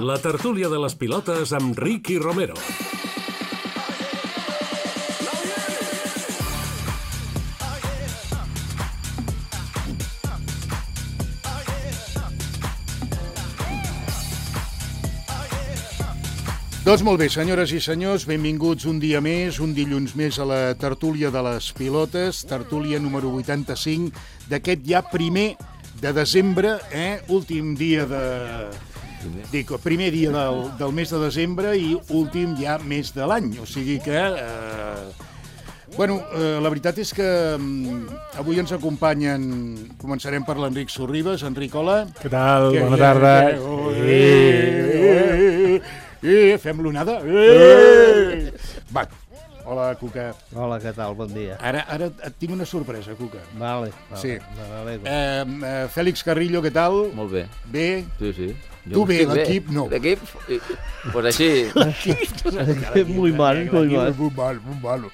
La tertúlia de les pilotes amb Ricky Romero. Doncs molt bé, senyores i senyors, benvinguts un dia més, un dilluns més a la tertúlia de les pilotes, tertúlia número 85 d'aquest ja primer de desembre, últim dia primer dia del mes de desembre i últim ja mes de l'any, o sigui que... la veritat és que avui ens acompanyen, començarem per l'Enric Sorribes. Enric, hola. Què tal? Bona tarda. Fem l'onada. Va, hola, Cuca. Hola, què tal? Bon dia. Ara et tinc una sorpresa, Cuca. Vale. Sí. Fèlix Carrillo, què tal? Molt bé. Bé? Sí. Tu bé, l'equip no. L'equip? Pues així. L'equip muy malo.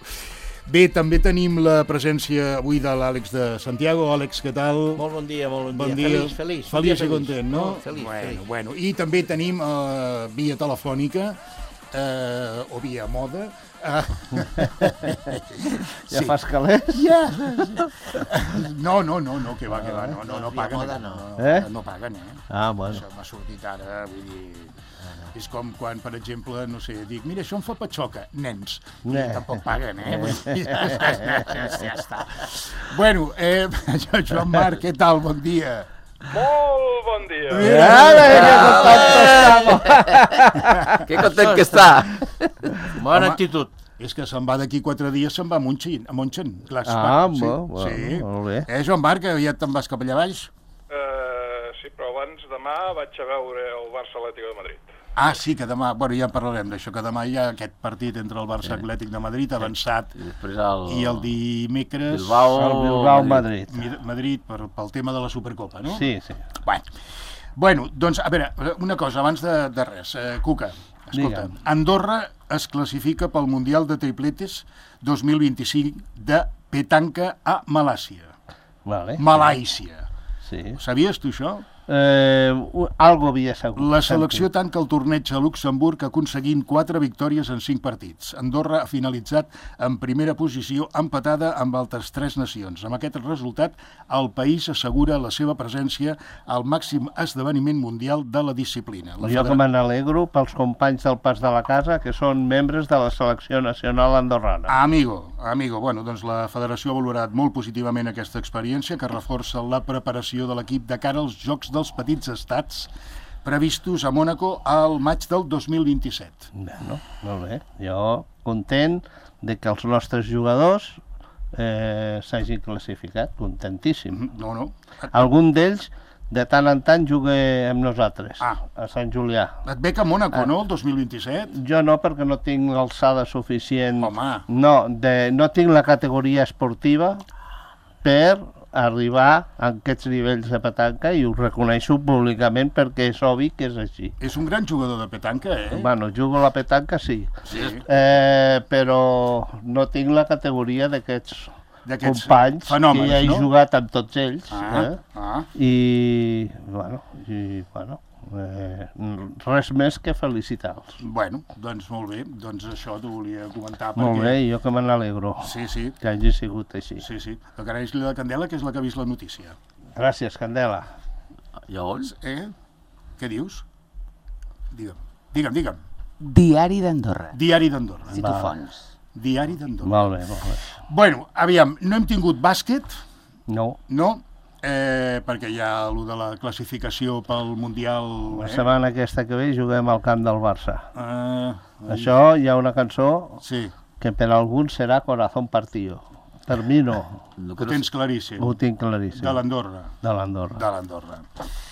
Bé, també tenim la presència avui de l'Àlex de Santiago. Àlex, què tal? Molt bon dia. Feliç. Feliç i content, no? Feliç. Bueno. I també tenim via telefònica, o via moda... Ja fas calés? Ja! No, que va, no paguen. No paguen, Ah, bueno. Això m'ha sortit ara, vull dir... És com quan, per exemple, no sé, dic, mira, això em fa patxoca, nens. Tampoc paguen, Ja està. Bueno, Joan Marc, què tal? Bon dia. Molt bon dia. Que content que està. Bona actitud. És que se'n va d'aquí 4 dies, se'n va a Montxin. Clar, molt bé. Joan Marc, aviat te'n vas cap allà baix? Sí, però abans demà vaig a veure el Barça Atlètico de Madrid. Ah, sí, que demà, ja en parlarem d'això, que demà hi ha aquest partit entre el Barça Atlètic de Madrid avançat i el dimecres... El Bilbao-Madrid. Madrid pel tema de la Supercopa, no? Sí. Bueno, doncs, a veure, una cosa, abans de res. Cuca, escolta, Andorra es classifica pel Mundial de Tripletes 2025 de petanca a Malàisia. Malàisia. Sí. Sabies tu això? Algo havia segut. La selecció tanca el torneig a Luxemburg aconseguint 4 victòries en 5 partits. Andorra ha finalitzat en primera posició empatada amb altres 3 nacions. Amb aquest resultat, el país assegura la seva presència al màxim esdeveniment mundial de la disciplina. Jo que me n'alegro pels companys del Pas de la Casa, que són membres de la selecció nacional andorrana. Amigo, bueno, doncs la federació ha valorat molt positivament aquesta experiència que reforça la preparació de l'equip de cara als Jocs dels Petits Estats previstos a Mònaco al maig del 2027. Bueno, molt bé. Jo content de que els nostres jugadors s'hagin classificat, contentíssim. No. Algun d'ells de tant en tant juga amb nosaltres, a Sant Julià. Et ve que a Mònaco, no, el 2027? Jo no, perquè no tinc l'alçada suficient. Home. No tinc la categoria esportiva per arribar a aquests nivells de petanca i ho reconeixo públicament perquè és obvi que és així. És un gran jugador de petanca, Bueno, jugo a la petanca, sí. Però no tinc la categoria d'aquests companys fenòmens, que ja he jugat amb tots ells. I res més que felicitar-los. Bueno, doncs molt bé, doncs això t'ho volia comentar. Molt bé, jo que me n'alegro que hagi sigut així. Sí. Agraeix la Candela, que és la que ha vist la notícia. Gràcies, Candela. Llavors? Què dius? Digue'm. Diari d'Andorra. Si tu fons. Diari d'Andorra. Molt bé. Bueno, aviam, no hem tingut bàsquet. No. Perquè hi ha allò de la classificació pel Mundial... La setmana aquesta que ve juguem al camp del Barça. Això hi ha una cançó que per a alguns serà Corazón Partido. Per mi no. Ho tens claríssim. Ho tinc claríssim. De l'Andorra.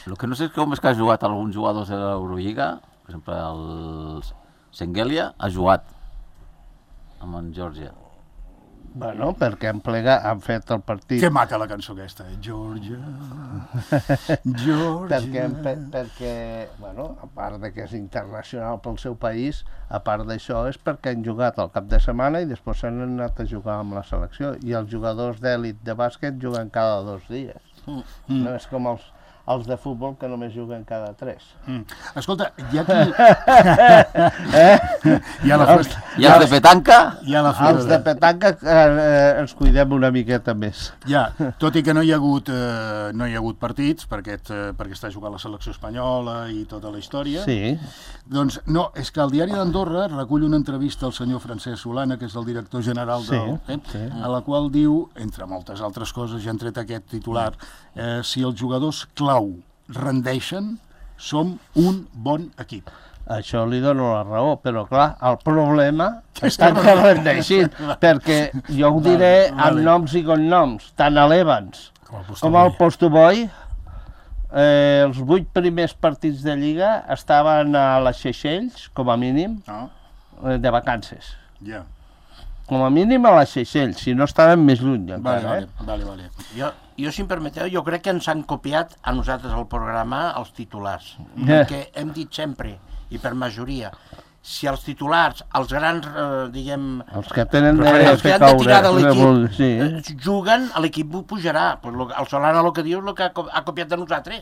El que no sé com és que ha jugat alguns jugadors de l'Eurolliga. Per exemple, el Senghelia ha jugat amb en Geòrgia. Bueno, perquè han fet el partit... Que maca la cançó aquesta, Geòrgia. Perquè, bueno, a part de que és internacional pel seu país, a part d'això és perquè han jugat el cap de setmana i després s'han anat a jugar amb la selecció. I els jugadors d'èlit de bàsquet juguen cada 2 dies. No és com els de futbol que només juguen cada 3. Escolta, hi ha qui... Hi ha la festa. I els de petanca? Hi ha la Els de petanca ens cuidem una miqueta més. Ja, tot i que no hi ha hagut partits perquè està jugant la selecció espanyola i tota la història. Sí. Doncs no, és que el Diari d'Andorra recull una entrevista al senyor Francesc Solana, que és el director general a la qual diu, entre moltes altres coses, ja han tret aquest titular, si els jugadors clau rendeixen, som un bon equip. Això li dono la raó, però clar, el problema és tant que rendeixin, perquè jo ho diré amb noms i cognoms, tant a l'Evans com al Postoboy, els 8 primers partits de Lliga estaven a les Seychelles, com a mínim, de vacances. Ja. Com a mínim a les Seychelles, si no estaven més lluny encara. Vale. Jo, si em permeteu, jo crec que ens han copiat a nosaltres al programa els titulars. Perquè hem dit sempre, i per majoria, si els titulars, els grans, diguem... Els que tenen els que han de tirar de l'equip sí. juguen, l'equip pujarà. El Solana el que diu és el que ha copiat de nosaltres.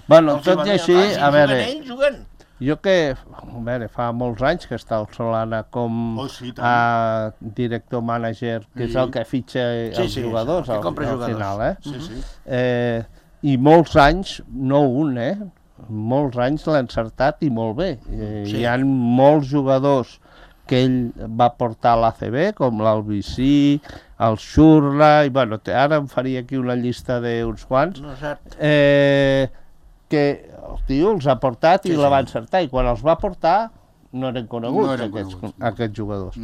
Bueno, tot i així, a veure... Juguen. Jo que, a veure, fa molts anys que està el Solana com director mànager, que és el que fitxa els jugadors al final, i molts anys, no un, molts anys l'ha encertat i molt bé. Hi ha molts jugadors que ell va portar a l'ACB, com l'Albicí, el Xurla, i bueno, ara em faria aquí una llista d'uns quants, que el tio els ha portat i la va encertar, i quan els va portar no eren coneguts, aquests jugadors.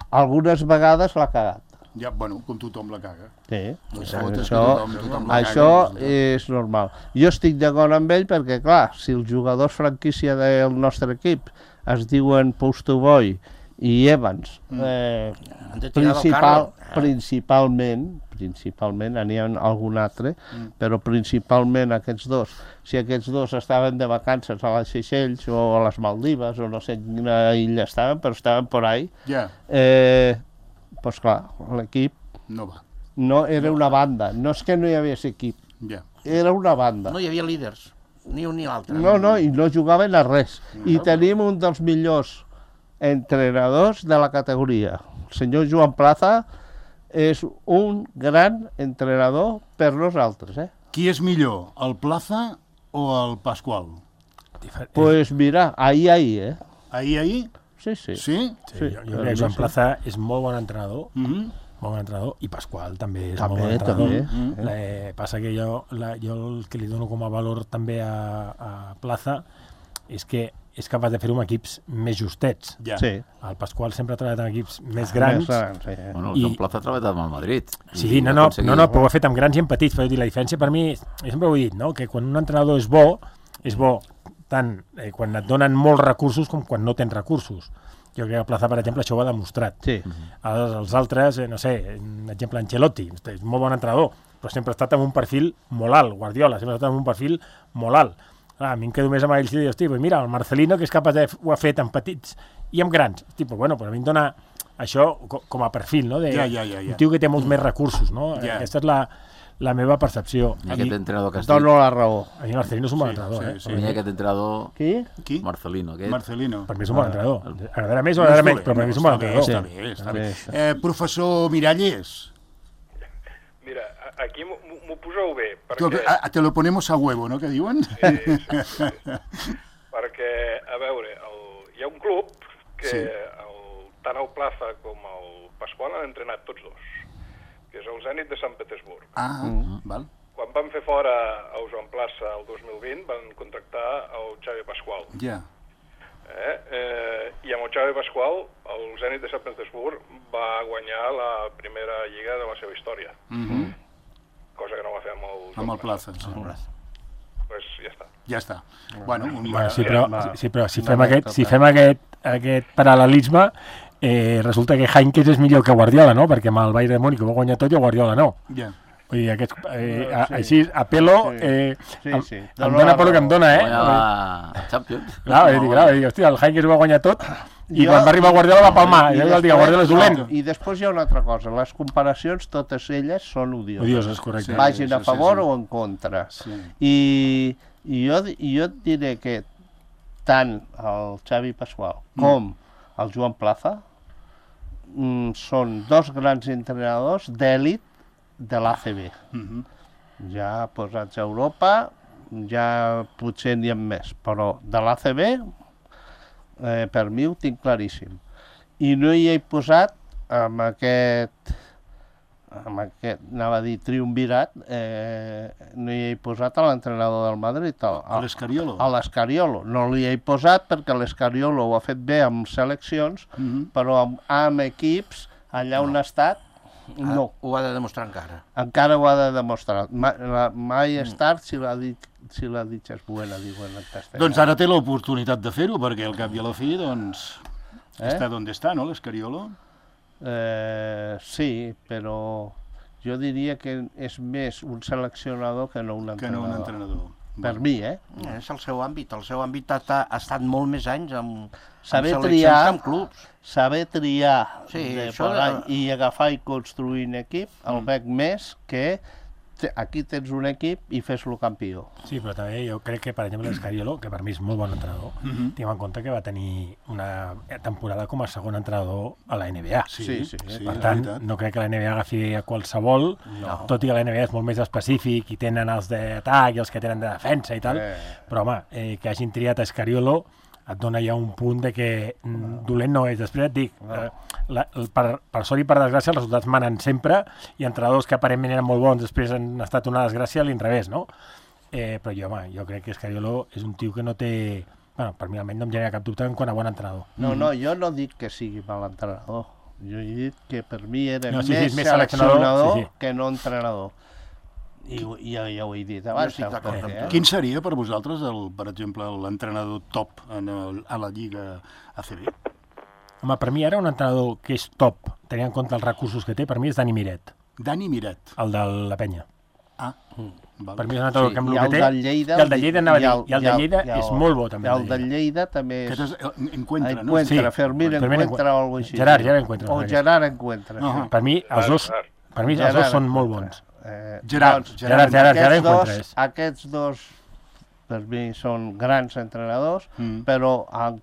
Algunes vegades l'ha cagat. Ja, bueno, com tothom la caga. Sí, això és normal. Jo estic d'acord amb ell perquè, clar, si els jugadors franquícia del nostre equip es diuen Postoboy i Evans, principalment, n'hi ha algun altre, però principalment aquests dos. Si aquests dos estaven de vacances a les Seychelles o a les Maldives, o no sé quina illa estaven, però estaven por ahí, doncs clar, l'equip no era una banda. No és que no hi hagués equip, era una banda. No hi havia líders, ni un ni l'altre. No, i no jugaven a res. I tenim un dels millors entrenadors de la categoria. El senyor Joan Plaza és un gran entrenador per nosaltres. Qui és millor, el Plaza o el Pasqual? Pues mira, ahí, Ahí? Sí. Sí? Jo crec que Joan Plaza és molt bon entrenador, i Pasqual també és molt bon entrenador. Passa que jo el que li dono com a valor també a Plaza és que és capaç de fer-ho amb equips més justets. El Pasqual sempre ha treballat amb equips més grans. Bueno, el Joan Plaza ha treballat amb el Madrid. Sí, no, però ho ha fet amb grans i amb petits. La diferència per mi, jo sempre ho he dit, que quan un entrenador és bo tant quan et donen molts recursos com quan no tens recursos. Jo crec que el Plaza, per exemple, això ho ha demostrat. Els altres, no sé, un exemple, Ancelotti, és molt bon entrenador, però sempre ha estat amb un perfil molt alt. Guardiola sempre ha estat amb un perfil molt alt. A mi em quedo més amb ells i dius, mira, el Marcelino, que és capaç ho ha fet amb petits i amb grans. Bueno, però a mi em dona això com a perfil, no? Un tio que té molts més recursos, no? Aquesta és la meva percepció. I aquest entrenador que has dit... Dono la raó. A mi Marcelino és un bon entrenador. Per mi aquest entrenador... Qui? Marcelino. Per mi és un bon entrenador. Agradarà més o agradarà menys, però per mi és un bon entrenador. Està bé. Professor Miralles. Mira, aquí m'ho poseu bé, perquè... Te lo ponemos a huevo, no?, que diuen? Sí. Perquè, a veure, hi ha un club que tant el Plaza com el Pasqual han entrenat tots dos, que és el Zenit de Sant Petersburg. Val. Quan van fer fora el Joan Plaza el 2020, van contractar el Xavi Pasqual. I amb el Xavi Pasqual, el Zenit de Sant Petersburg va guanyar la primera lliga de la seva història. Cosa que no va fer amb el Plaza. Pues ja està. Bueno, però si fem aquest paral·lelisme, resulta que Heinkes és millor que Guardiola, no? Perquè amb el Bayern de Múnich ho va guanyar tot i el Guardiola no. Vull dir, així, a pelo, em dona per lo que em dona, Guanya Champions. Clar, hòstia, el Heynckes ho va guanyar tot i quan va arribar Guardiola va palmar. I el dia Guardiola és dolent. I després hi ha una altra cosa. Les comparacions, totes elles, són odioses. Odioses, correcte. Vagin a favor o en contra. I jo et diré que tant el Xavi Pasqual com el Joan Plaza són dos grans entrenadors d'èlit de l'ACB. Ja posats a Europa, ja potser n'hi ha més, però de l'ACB per mi ho tinc claríssim. I no hi he posat amb aquest anava a dir triumvirat, no hi he posat a l'entrenador del Madrid, a l'Escariolo. A l'Escariolo. No l'hi he posat perquè l'Escariolo ho ha fet bé amb seleccions, però amb equips, allà on ha estat, no. Ho ha de demostrar encara. Encara ho ha de demostrar. Mai és tard si la dicha és buena, diuen en castellà. Doncs ara té l'oportunitat de fer-ho, perquè al cap i a la fi, doncs, està on està, no, l'Escariolo? Sí, però jo diria que és més un seleccionador que no un entrenador. Per mi, És el seu àmbit. El seu àmbit ha estat molt més anys amb seleccions que amb clubs. Saber triar i agafar i construir un equip, el veig més que aquí tens un equip i fes-lo campió. Sí, però també jo crec que, per exemple, l'Escariolo, que per mi és molt bon entrenador, tinguem en compte que va tenir una temporada com a segon entrenador a la NBA. Sí. Per tant, no crec que la NBA agafi a qualsevol, tot i que la NBA és molt més específic i tenen els d'atac i els que tenen de defensa i tal, però home, que hagin triat Escariolo et dona ja un punt de que dolent no és. Després et dic, per sort i per desgràcia, els resultats manen sempre i entrenadors que aparentment eren molt bons després han estat una desgràcia a l'inrevés, no? Però jo crec que Escariolo és un tio que no té... Bueno, per mi almenys no em genera cap dubte en quant a bon entrenador. No, jo no dic que sigui mal entrenador. Jo he dit que per mi era més seleccionador que no entrenador. I ja ho he dit abans. Quin seria per vosaltres, per exemple, l'entrenador top a la Lliga ACB? Home, per mi ara un entrenador que és top, tenint en compte els recursos que té, per mi és Dani Miret. Dani Miret? El de la Penya. Per mi és un entrenador que amb el que té... I el de Lleida anava a dir, i el de Lleida és molt bo, també. El de Lleida també és... Encuentra, no? Fermín Encuentra o alguna cosa així. Gerard Encuentra. O Gerard Encuentra. Per mi els dos són molt bons. Gerard Encuentra. Aquests dos per mi són grans entrenadors, però amb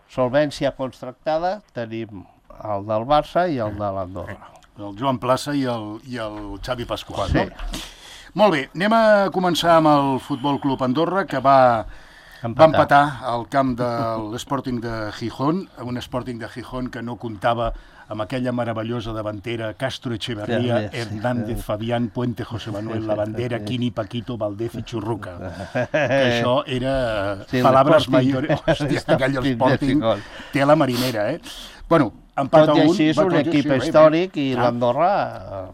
solvència contractada tenim el del Barça i el de l'Andorra. El Joan Plaza i el Xavi Pasqual. Sí. No? Molt bé, anem a començar amb el Futbol Club Andorra, que va empatar al camp de l'Sporting de Gijón, un Sporting de Gijón que no comptava amb aquella meravellosa davantera Castro Echeverría, Hernández, Fabián, Puente, José Manuel, la bandera, Quini, Paquito, Valdez i Churruca. Que això era palabras mayores. Hòstia, aquell Sporting té la marinera, Bueno, tot i així és un equip històric i l'Andorra,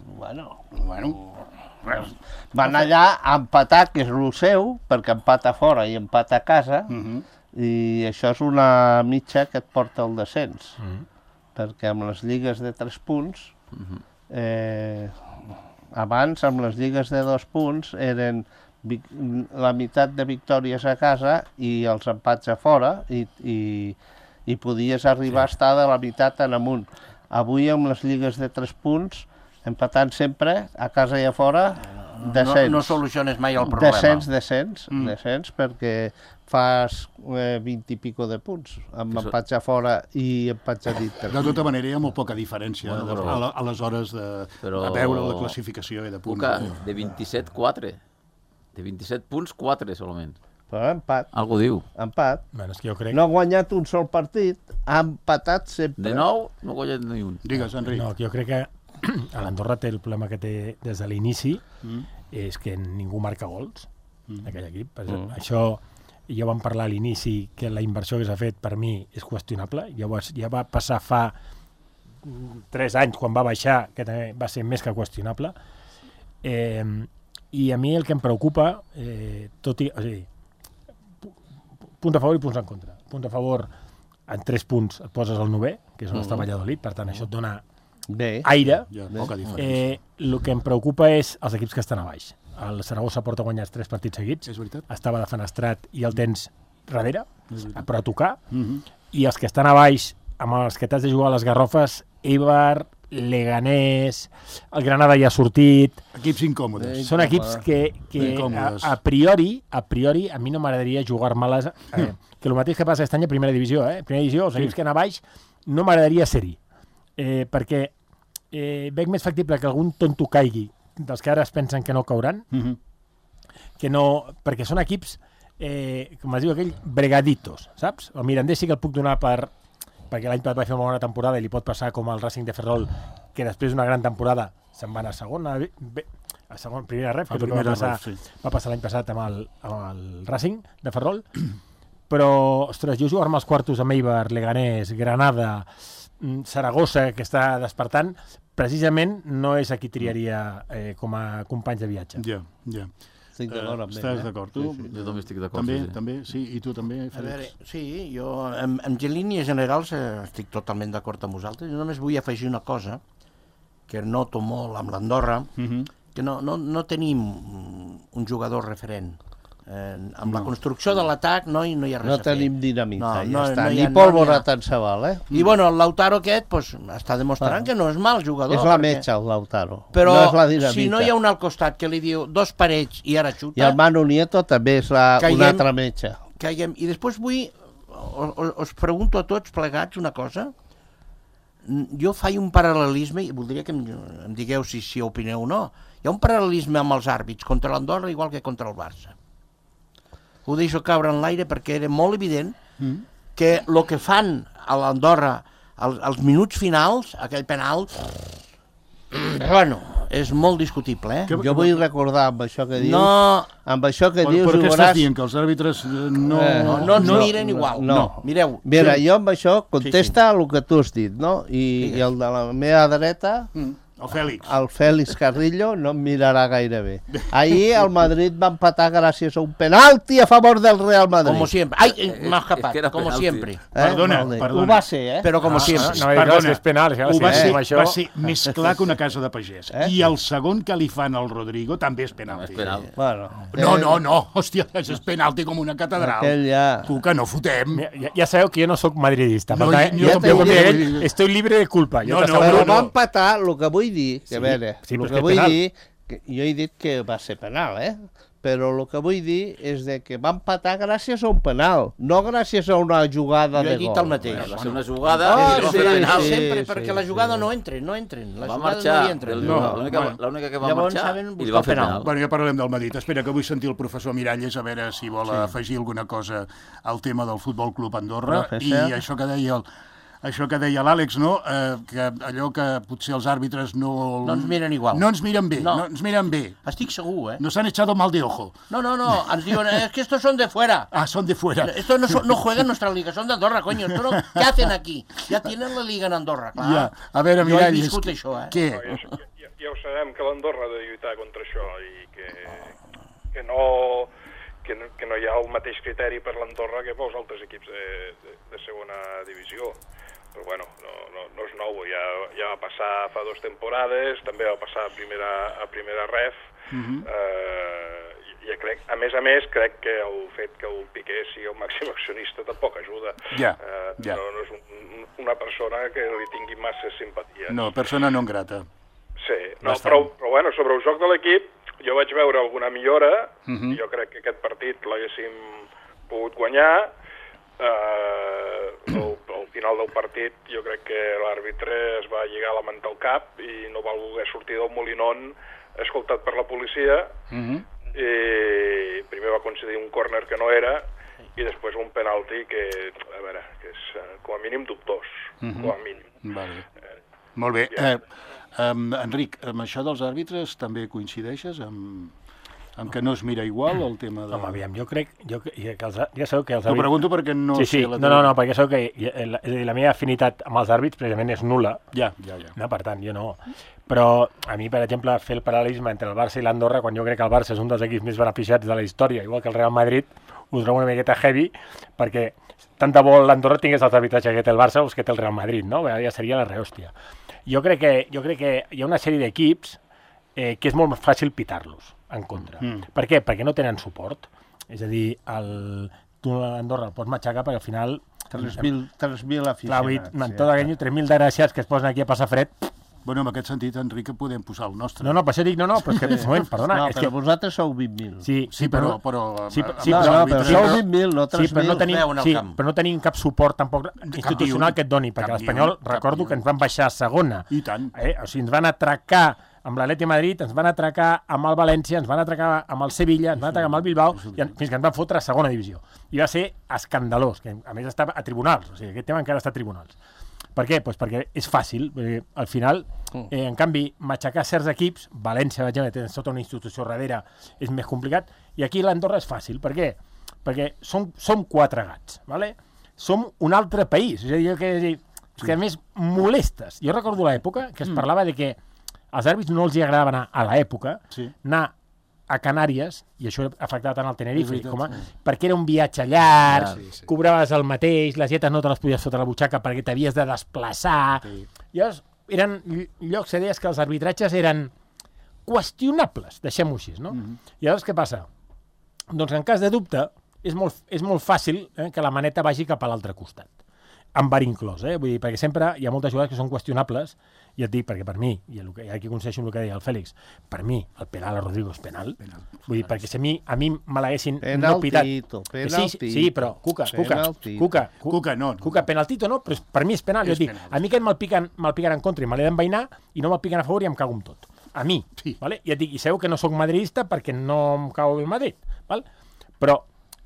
van allà a empatar, que és el seu, perquè empata fora i empata a casa, i això és una mitja que et porta al descens. Perquè amb les lligues de 3 punts, abans amb les lligues de 2 punts eren la meitat de victòries a casa i els empats a fora, i podies arribar a estar de la meitat en amunt. Avui amb les lligues de 3 punts, empatant sempre, a casa i a fora, descens. No soluciones mai el problema. Descens, perquè fas 20 i pico de punts, amb empats a fora i empats a dintre. De tota manera, hi ha molt poca diferència a les hores de veure la classificació i de punts. De 27, 4. De 27 punts, 4 solament. Però empat. Algú diu. Empat. Bueno, és que jo crec... No ha guanyat un sol partit, ha empatat sempre. De 9 no ha guanyat ni un. Digues, Enric. No, jo crec que l'Andorra té el problema que té des de l'inici, és que ningú marca gols d'aquell equip. Això ja vam parlar a l'inici, que la inversió que s'ha fet per mi és qüestionable. Ja va passar fa 3 anys, quan va baixar, que també va ser més que qüestionable. I a mi el que em preocupa, punt a favor i punts en contra. Punt a favor, en 3 punts et poses al 9è, que és on està Valladolid, per tant això et dona aire. Poca diferència. El que em preocupa és els equips que estan a baix. El Saragossa porta guanyats 3 partits seguits. És veritat. Estava defenestrat i el tens darrere, però a tocar. I els que estan a baix, amb els que t'has de jugar a les Garrofes, Eibar, Leganés, el Granada ja ha sortit. Equips incòmodes. Són equips que a priori, a mi no m'agradaria jugar-me-les. Que el mateix que passa aquest any a Primera Divisió. Primera Divisió, els equips que anar a baix, no m'agradaria ser-hi. Perquè veig més factible que algun tonto caigui, dels que ara es pensen que no cauran, que no, perquè són equips, com es diu aquell, bregaditos, saps? El Mirandés sí que el puc donar perquè l'any passat va fer una bona temporada i li pot passar com al Racing de Ferrol, que després d'una gran temporada se'n van a segona, primera ref, que és el que va passar l'any passat amb el Racing de Ferrol. Però, ostres, jo jugar-me als quartos amb Eibar, Leganés, Granada, Saragossa, que està despertant, precisament no és a qui triaria com a companys de viatge. Ja. Estic d'acord amb ell. Estàs d'acord, tu? Jo també estic d'acord. També, sí. I tu també, Fèlix? Sí, jo en línies generals estic totalment d'acord amb vosaltres. Jo només vull afegir una cosa que noto molt amb l'Andorra, que no tenim un jugador referent. Amb la construcció de l'atac no hi ha res a fer. No tenim dinamita, ja està. Ni pólvora tant se val, I bueno, el Lautaro aquest està demostrant que no és mal jugador. És la metxa, el Lautaro. Però no és la dinamita. Si no hi ha un al costat que li diu dos parets i ara xuta... I el Manu Nieto també és una altra metxa. I després us pregunto a tots plegats una cosa. Jo faig un paral·lelisme, i voldria que em digueu si opineu o no. Hi ha un paral·lelisme amb els àrbits contra l'Andorra igual que contra el Barça. Ho deixo caure en l'aire perquè era molt evident que el que fan a l'Andorra als minuts finals, aquell penal, bueno, és molt discutible, Jo vull recordar amb això que dius... No. Amb això que dius... Per què estàs dient? Que els àrbitres no ens miren igual. No. Mireu. Mira, jo amb això contesta el que tu has dit, no? I el de la meva dreta... El Fèlix Carrillo no em mirarà gaire bé. Ahir el Madrid va empatar gràcies a un penalti a favor del Real Madrid. Como siempre. Ai, m'ha escapat, como siempre. Perdona. Ho va ser, Però como siempre. Perdona, és penal. Va ser més clar que una casa de pagès. I el segon que li fan al Rodrigo també és penalti. No. Hòstia, és penalti com una catedral. Cuca, no fotem. Ja sabeu que jo no sóc madridista. Estoy libre de culpa. Però va empatar, el que vull dir, que a veure, el que vull dir, jo he dit que va ser penal, però el que vull dir és que va empatar gràcies a un penal, no gràcies a una jugada de gol. Jo he dit el mateix. Va ser una jugada sempre, perquè la jugada no entren. Va marxar, l'única que va marxar i li va fer penal. Bueno, ja parlem del Madrid. Espera, que vull sentir el professor Miralles a veure si vol afegir alguna cosa al tema del Futbol Club Andorra i això que deia l'Àlex, no? Que allò que potser els àrbitres no ens miren igual. No ens miren bé. Estic segur, Nos han echado mal de ojo. No, ens diuen, es que estos son de fuera. Son de fuera. Estos no juegan en nuestra liga, son de Andorra, coño. ¿Qué hacen aquí? Ja tenen la liga en Andorra, clar. Ja, a veure, Miralles, jo he viscut això, Què? Ja ho sabem, que l'Andorra ha de lluitar contra això i que no hi ha el mateix criteri per l'Andorra que pels altres equips de segona divisió. Però bueno, no és nou, ja va passar fa 2 temporades, també va passar a primera ref, i crec, a més, crec que el fet que el Piqué sigui el màxim accionista tampoc ajuda. No és una persona que li tingui massa simpatia. No, persona non grata. Sí, però bueno, sobre el joc de l'equip, jo vaig veure alguna millora, jo crec que aquest partit l'haguéssim pogut guanyar. Al final del partit jo crec que l'àrbitre es va lligar la manta al cap i no va voler sortir del Molinón escoltat per la policia i primer va concedir un córner que no era i després un penalti que, a veure, que és com a mínim dubtós, com a mínim. Molt bé. Enric, amb això dels àrbitres també coincideixes amb En què no es mira igual el tema de... Home, aviam, jo crec que ja sabeu que els T'ho àrbits... pregunto perquè no sé... No, perquè sabeu que és a dir, la meva afinitat amb els àrbits precisament és nul·la. Ja. No, per tant, jo no. Però a mi, per exemple, fer el paral·lelisme entre el Barça i l'Andorra, quan jo crec que el Barça és un dels equips més beneficiats de la història, igual que el Real Madrid, ho trobo una miqueta heavy, perquè tant de bo l'Andorra tingués els arbitratges que té el Barça o que té el Real Madrid, no? Ja seria la rehòstia. Jo crec que hi ha una sèrie d'equips que és molt fàcil pitar-los en contra. Per què? Perquè no tenen suport. És a dir, tu a Andorra el pots matxacar perquè al final... 3.000 aficionats. Amb tot aquell 3.000 desgraciats que es posen aquí a passar fred... Bueno, en aquest sentit, Enric, podem posar el nostre. No, per això dic, però és que, moment, perdona... No, però vosaltres sou 20.000. Sí, però sou 20.000, no 3.000. Però no tenim cap suport tampoc institucional que et doni, perquè l'Espanyol, recordo que ens van baixar a segona. I tant. O sigui, ens van atracar amb l'Atleti Madrid, ens van atracar amb el València, ens van atracar amb el Sevilla, ens van atracar amb el Bilbao, fins que ens van fotre a segona divisió. I va ser escandalós, que a més estava a tribunals, o sigui, aquest tema encara està a tribunals. Per què? Pues perquè és fàcil. Al final, en canvi, matxacar certs equips, València, per exemple, tens tota una institució darrere, és més complicat, i aquí l'Andorra és fàcil. Per què? Perquè som 4 gats, ¿vale? Som un altre país. És a dir, que a més molestes. Jo recordo l'època que es parlava de que als àrbits no els agradava anar a l'època, anar a Canàries, i això afectava tant al Tenerife, perquè era un viatge llarg, cobraves el mateix, les dietes no te les podies fotre a la butxaca perquè t'havies de desplaçar. Llavors, eren llocs, deies que els arbitratges eren qüestionables, deixem-ho així, no? I llavors què passa? Doncs en cas de dubte, és molt fàcil que la maneta vagi cap a l'altre costat, amb bar inclòs, vull dir, perquè sempre hi ha moltes jugades que són qüestionables, i et dic, perquè per mi, i aquí coincideixo amb el que deia el Fèlix, per mi el penal a Rodrigo és penal. Vull dir, perquè si a mi me l'haguessin no pitat... Penaltito. Sí, però, Cuca, penaltito no, però per mi és penal. Jo dic, a mi que me'l piquen en contra i me l'he d'envainar i no me'l piquen a favor i em cago en tot. A mi, vale? I et dic, i sabeu que no sóc madridista perquè no em cau el Madrid, val? Però,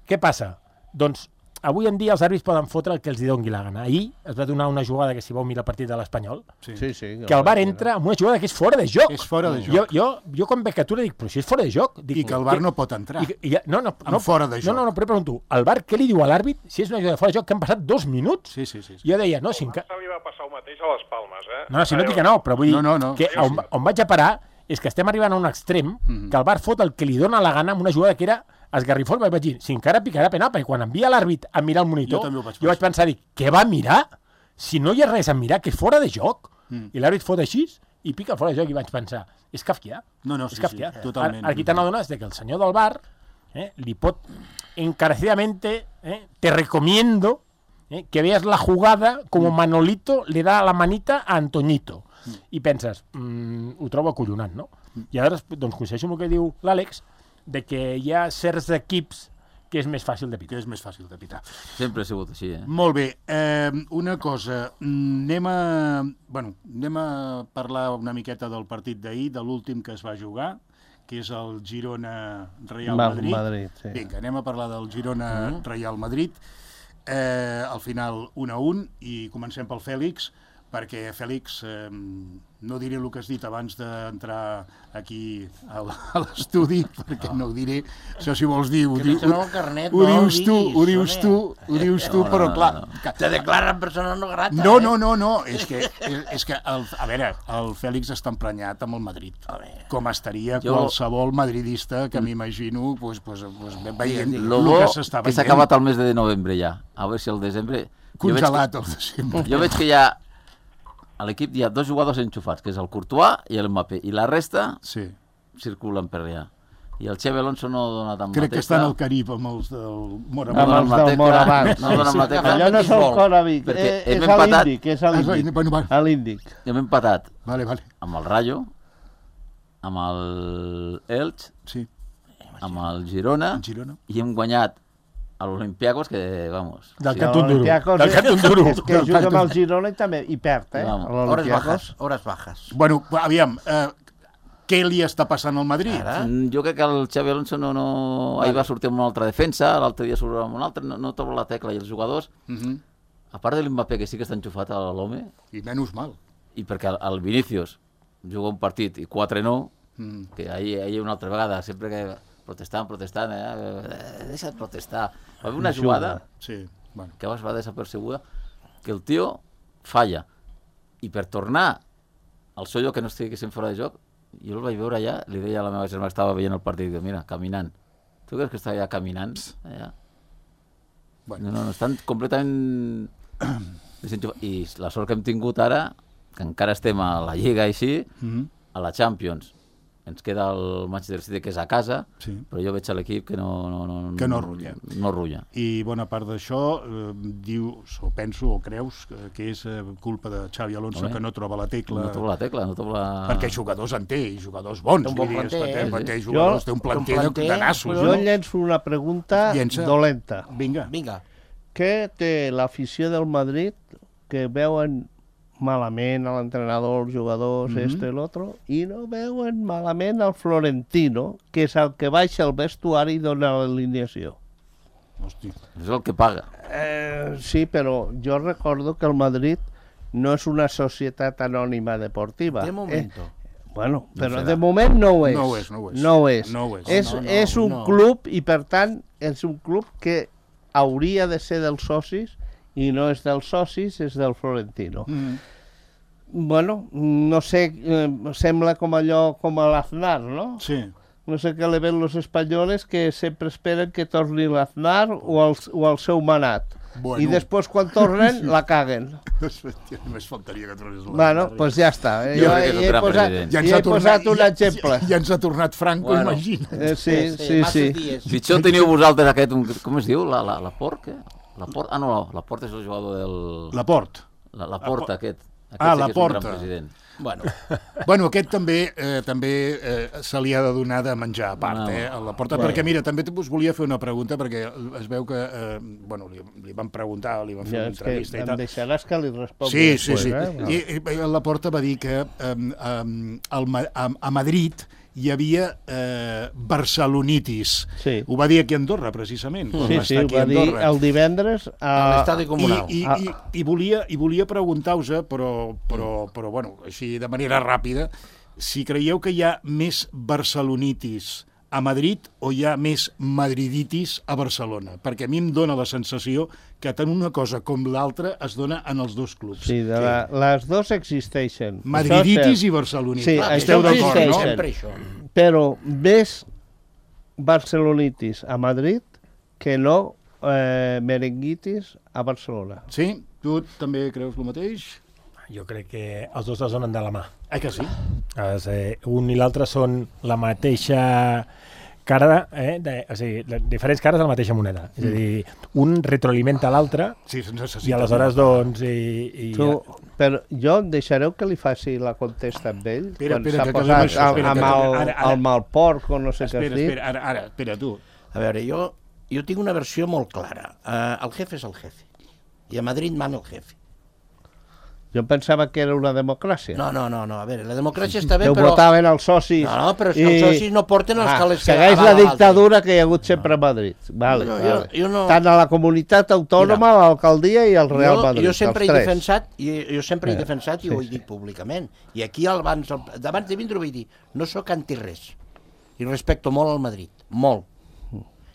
què passa? Doncs, avui en dia els àrbits poden fotre el que els doni la gana. Ahir es va donar una jugada que si vau mirar el partit de l'Espanyol, que el VAR entra amb una jugada que és fora de joc. És fora de joc. Jo quan veig captura dic, però si és fora de joc... I que el VAR no pot entrar. No, fora de joc. No, però pregunto, el VAR què li diu a l'àrbit si és una jugada de fora de joc que han passat 2 minuts? Sí. Jo deia, no, si... El Barça li va passar el mateix a les Palmes, No, si no dic que no, però vull dir que on vaig a parar és que estem arribant a un extrem que el VAR fot el que li dona la gana amb una jugada que era esgarrifós, vaig dir, si encara picarà penal, perquè quan envia l'àrbit a mirar el monitor, jo vaig pensar, què va mirar? Si no hi ha res a mirar, que és fora de joc. I l'àrbit fot així i pica fora de joc i vaig pensar, és kafkià. És kafkià. Totalment. Aquí t'han adonat que el senyor del VAR li pot encarecidamente, te recomiendo que veas la jugada como Manolito le da la manita a Antoñito. I penses, ho trobo acollonant, no? I ara, doncs, coincideixo amb el que diu l'Àlex, de que hi ha certs equips que és més fàcil de pitar. Sempre ha sigut així, Molt bé. Una cosa, anem a parlar una miqueta del partit d'ahir, de l'últim que es va jugar, que és el Girona-Real Madrid. Vinga, anem a parlar del Girona-Real Madrid. Al final 1-1, i comencem pel Fèlix, perquè, Fèlix, no diré el que has dit abans d'entrar aquí a l'estudi, perquè no ho diré. Això, si vols dir, ho dius tu, però clar... Te declaren persona no grata. No, és que, a veure, el Fèlix està emprenyat amb el Madrid, com estaria qualsevol madridista que m'imagino veient el que s'està veient. Que s'ha acabat el mes de novembre ja, a veure si el desembre... Congelat el desembre. Jo veig que hi ha... A l'equip hi ha 2 jugadors enxufats, que és el Courtois i el Mbappé, i la resta circulen per allà. I el Xabi Alonso no dona tant Crec que estan al Carib amb els del Moraván. Amb els del Moraván. No dona amb la tecla. Allò no és el Coravic, és l'Índic. Hem empatat amb el Rayo, amb el Elche, amb el Girona, i hem guanyat a l'Olympiacos, que, vamos... Del Cantón Duro. És que juga amb el Girona i també hi perd, Hores bajas. Bueno, aviam, què li està passant al Madrid? Jo crec que el Xabi Alonso ahir va sortir amb una altra defensa, l'altre dia surt amb una altra, no troba la tecla, i els jugadors, a part de l'Mbappé, que sí que està enxufat a l'home... I menys mal. I perquè el Vinícius juga un partit i 4 no, que ahir una altra vegada, sempre que protestant, deixa't protestar. Va haver una jugada que va desapercebuda, que el tio falla, i per tornar al seu lloc, que no estiguessin fora de joc, jo el vaig veure allà, li deia a la meva germana que estava veient el partit, mira, caminant. Tu creus que està allà caminant? Allà? No, estan completament desenxufats. I la sort que hem tingut ara, que encara estem a la Lliga així, a la Champions. Ens queda el Manchester City, que és a casa, però jo veig a l'equip que no rulla. I bona part d'això dius, o penso, o creus que és culpa de Xavi Alonso, que no troba la tecla. No troba la tecla. Perquè jugadors en té, i jugadors bons. Té un bon planter. Té un planter de nassos. Jo llenço una pregunta dolenta. Vinga. Què té l'afició del Madrid que veuen malament a l'entrenador, els jugadors, l'altre, i no veuen malament al Florentino, que és el que baixa el vestuari i dona l'alineació? Hòstia. És el que paga. Sí, però jo recordo que el Madrid no és una societat anònima deportiva. De moment. Bueno, però de moment no ho és. No ho és. És un club, i per tant és un club que hauria de ser dels socis, i no és dels socis, és del Florentino. Bueno, no sé, sembla com allò, com a l'Aznar, no? Sí. No sé què le ven los espanyoles, que sempre esperen que torni l'Aznar o el seu manat. I després, quan tornen, la caguen. Només faltaria que tornés l'Aznar. Bueno, doncs ja està. Ja he posat un exemple. Ja ens ha tornat Franco, imagina't. Sí. Pitjor teniu vosaltres aquest, com es diu? Laport, què? Laport és el jugador del... Laport, aquest. Laport. Bueno, aquest també se li ha de donar de menjar a part, a Laporta, perquè mira, també us volia fer una pregunta, perquè es veu que, li van preguntar, li van fer una entrevista i tal. Em deixaràs que li respongui després. Sí. I Laporta va dir que a Madrid hi havia barcelonitis. Ho va dir aquí a Andorra, precisament. Sí, ho va dir el divendres a l'estadi comunal. I volia preguntar-vos, però bueno, així de manera ràpida, si creieu que hi ha més barcelonitis a Madrid o hi ha més madriditis a Barcelona, perquè a mi em dóna la sensació que tant una cosa com l'altra es dona en els dos clubs. Sí, les dues existeixen. Madriditis i barcelonitis. Sí, esteu d'acord, no? Però més barcelonitis a Madrid que no merenguitis a Barcelona. Sí? Tu també creus el mateix? Jo crec que els dos es donen de la mà. Que sí? Un i l'altre són la mateixa cara, o sigui, diferents cares de la mateixa moneda. És a dir, un retroalimenta l'altre i aleshores, doncs... Però jo em deixareu que li faci la contesta amb ell? Quan s'ha posat el malporc o no sé què has dit? Espera, tu. A veure, jo tinc una versió molt clara. El jefe és el jefe. I a Madrid mana el jefe. Jo pensava que era una democràcia. No, a veure, la democràcia està bé, però... Que votaven els socis... No, però és que els socis no porten els calés... Segueix la dictadura que hi ha hagut sempre a Madrid. Tant a la comunitat autònoma, a l'alcaldia i al Real Madrid. Jo sempre he defensat, i ho he dit públicament, i aquí abans de vindre ho vaig dir, no sóc anti-res, i respecto molt al Madrid, molt.